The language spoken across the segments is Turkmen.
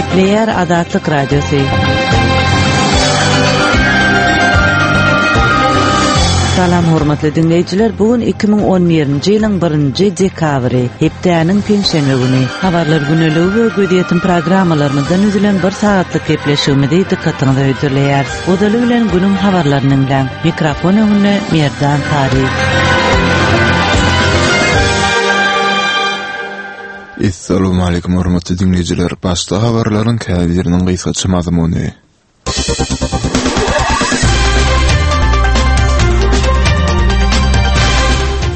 Gepleýär Azatlyk Radiosy. Salam hormatly diňleýjiler, bu gün 2011-nji ýylyň 1-nji dekabry, hepdäniň penşenbe güni. Habarlar güneligi we gözýetim programmalarymyzdan düzülen bir sagatlyk gepleşigimizi dykgatyňyza hödürleýäris. Ozaly bilen günüň habarlaryny diňläň. Mikrofon öňünde Merdan Taryf. Essalawmaleýkum hormatly diňleýjiler! Başda habarlaryň käbiriniň gysgaça mazmuny.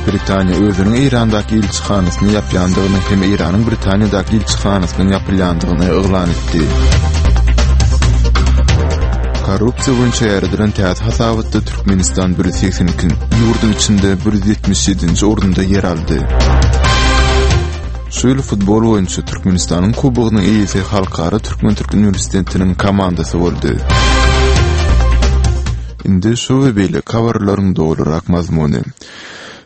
Britaniýa özüniň Eýrandaky ilçihanasyny ýapýandygyny hem Eýranyň Britaniýadaky ilçihanasynyň ýapylýandygyny yglan etdi. Korrupsiýa boýunça ýaýradylan täze hasabatda Türkmenistan 182 ýurduň içinde 177-nji orunda ýer aldy. Şu ýyl futbol boýunça Türkmenistanyň Kubogynyň eýesi Halkara türkmen-türk uniwersitetiniň komandasy boldy. Indi şu we beýleki habarlaryň dolurak mazmuny.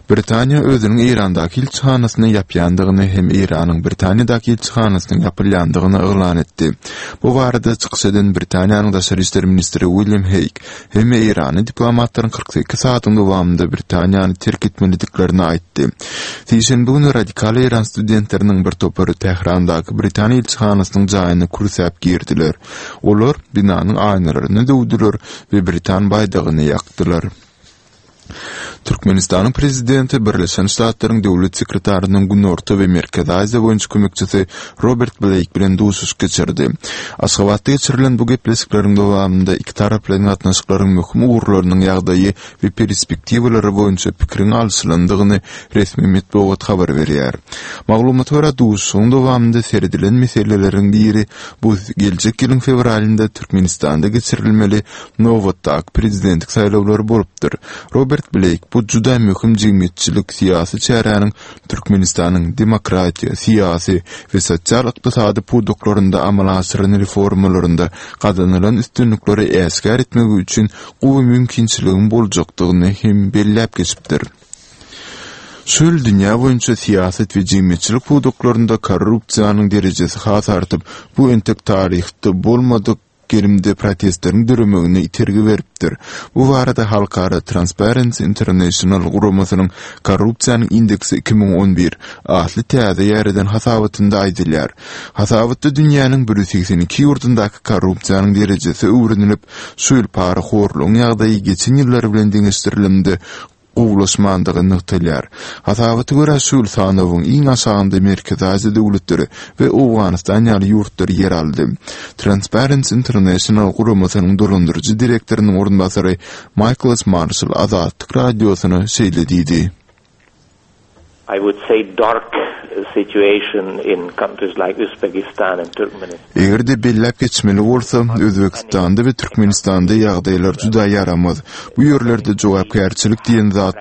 Britaniýa özüniň Eýrandaky ilçihanasyny ýapýandygyny hem Eýranyň Britaniýadaky ilçihanasynyň ýapylýandygyny yglan etdi. Bu barada çykyş eden Britaniýanyň daşary işler ministri William Heýg hem eýranly diplomatlaryň 48 sagatyň dowamynda Britaniýany terk etmelidiklerini aýtdy. Sişenbe güni radikal eýran studentleriniň bir topary Tährandaky Britaniýa ilçihanasynyň jaýyna kürsäp girdiler. Olar binanyň aýnalaryny döwdüler we britan baýdagyny ýakdylar. Türkmenistanyň Prezidenti Birleşen Ştatlaryň Döwlet sekretarynyň Günorta we Merkezi Aziýa boýunça kömekçisi Robert Bleýk bilen duşuşyk geçirdi. Aşgabatda geçirilen bu gepleşikleriň dowamynda ikitaraplaýyn gatnaşyklaryň möhüm ugurlarynyň ýagdaýy we perspektiwalary boýunça pikiriň alşylandygyny resmi metbugat habar berýär. Maglumata görä, duşuşygyň dowamynda seredilen meseleleriň biri bu geljek ýylyň fewralynda Türkmenistanda geçirilmeli nobatdaky prezidentlik saýlawlary bolupdyr. Robert Bleýk bu juda möhüm jemgyýetçilik-syýasy çäräniň Türkmenistanyň demokratiýa, syýasy we sosial-ykdysady pudaklarynda amala aşyran reformalarynda gazanylan üstünlikleri äşgär etmegi üçin gowy mümkinçiligiň boljakdygyny hem belläp geçipdir. Şu ýyl dünýä boýunça syýasat we jemgyýetçilik pudaklarynda korrupsiýanyň derejesi has artyp, bu entek taryhda bolmadyk gerimde protestleriň döremegine itergi beripdir. Bu barada halkara Transparency International guramasynyň Korrupsiýanyň indeksi 2011 atly täze ýaýradan hasabatynda aýdylýar. Hasabatda dünýäniň 182 ýurdundaky korrupsiýanyň derejesi öwrenilip, şu ýyl parahorlugyň ýagdaýy geçen ýyllar bilen deňeşdirilende gowulaşmandygy nygtalýar. Hasabata görä, şu ýyl sanawyň iň aşagynda Merkezi Aziýa döwletleri we Owganystan ýaly ýurtlar ýer aldy. Transparency International guramasynyň dolandyryjy direktorynyň orunbasary Maýkls Marşall Azatlyk Radiosyna şeýle diýdi. I would say dark situation in countries like Uzbekistan and Turkmenistan. Eger-de belläp geçmeli bolsa, Özbegistanda we Türkmenistanda ýagdaýlar juda ýaramaz. Bu ýerlerde jogapkärçilik diýen zat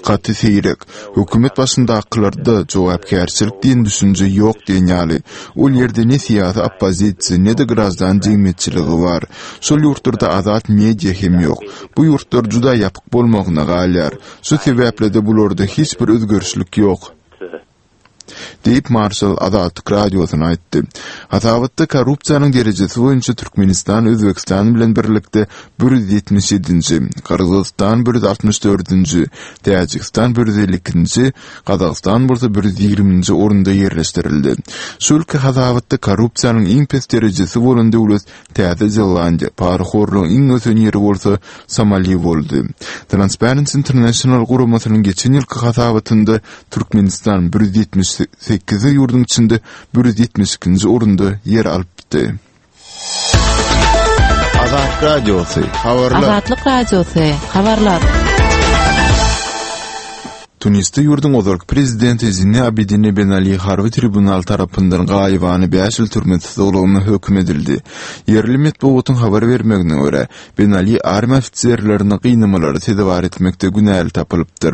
gaty seýrek. Hökümet başyndakylarda jogapkärçilik diýen düşünje ýok diýen ýaly. Ol ýerde ne syýasy oppozisiýa, ne-de graždan jemgyýetçiligi bar. Şol ýurtlarda azat media hem ýok. Bu ýurtlar juda ýapyk bolmagyna galýar. Şu sebäpli-de bularda hiç bir özgerişlik ýok. Diýip, Marşal Azatlyk Radiosyna aýtdy. Hasabatda korrupsiýanyň derejesi boýunça Türkmenistan Özbegistan bilen birlikde 177-nji, Gyrgyzystan 164-nji, Täjigistan 152-nji, Gazagystan bolsa 120-nji orunda ýerleşdirildi. Şu ýylky hasabatda korrupsiýanyň iň pes derejesi bolan döwlet Täze Zelandiýa, parahorlugyň iň ösen ýeri bolsa Somali boldy. Transparency International guramasynyň geçen ýylky hasabatynda Türkmenistan 178 ýurduň içinde 172-nji orunda ýer alypdy. Azat Radiosy, habarlar. Azatlyk Radiosy, habarlar. Tunisde ýurduň ozalky prezidenti Zine Abidine Ben Ali harby tribunal tarapyndan gaýybana bäş ýyl türme tussaglygyna höküm edildi. Ýerli metbugatyň habar bermegine görä, Ben Ali armiýa ofiserlerini gynamalara sezewar etmekde günäli tapylypdyr.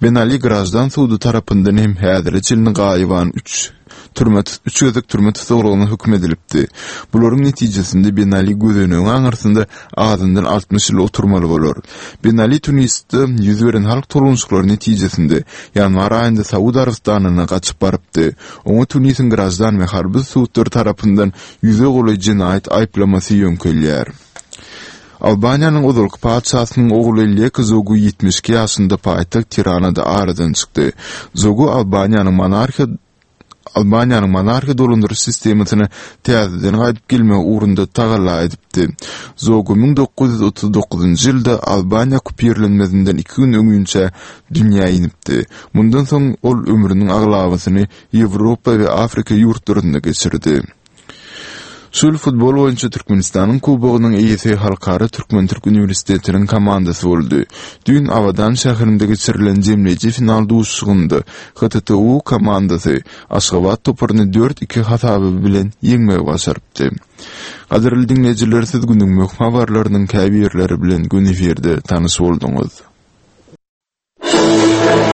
Ben Ali graždan sudy tarapyndan hem häzire çenli gaýybana üç. Türme üç gezek türme tussaglygyna höküm edilipdi. Bularyň netijesinde Ben Ali gözenegiň aňyrsynda azyndan 60 ýyl oturmaly bolar. Ben Ali Tunisde ýüz beren halk tolgunyşyklary netijesinde ýanwar aýynda Saud Arabystanyna gaçyp barypdy. Oňa Tunisiň graždan we harby sudlary tarapyndan ýüze golaý jenaýat aýyplamasy ýöňkelýär. Albaniýanyň ozalky patyşasynyň ogly Lek Zogu 72 ýaşynda paýtagt Tiranada aradan çykdy. Zogu Albaniýanyň monarhiýa Albaniýanyň monarhiýa dolandyryş sistemasyna täzeden gaýdyp gelmegi ugrunda tagalla edipdi. Zogu 1939-njy ýylda Albaniýa okupirlenmezinden iki gün öňinçä dünýä inipdi. Mundan soň ol ömrüniň aglabasyny Ýewropa we Afrika ýurtlarynda geçirdi. Şu ýyl futbol boýunça Türkmenistanyň Kubogynyň eýesi Halkara türkmen-türk uniwersitetiniň komandasy boldy. Düýn Abadan şäherinde geçirilen jemleýji final duşuşygynda HTTU komandasy Aşgabat toparyny dört-iki hasaby bilen ýeňmegi başarypdy. Gadyrly diňleýjiler, siz günüň möhüm habarlarynyň käbirleri bilen göni efirde tanyş bolduňyz.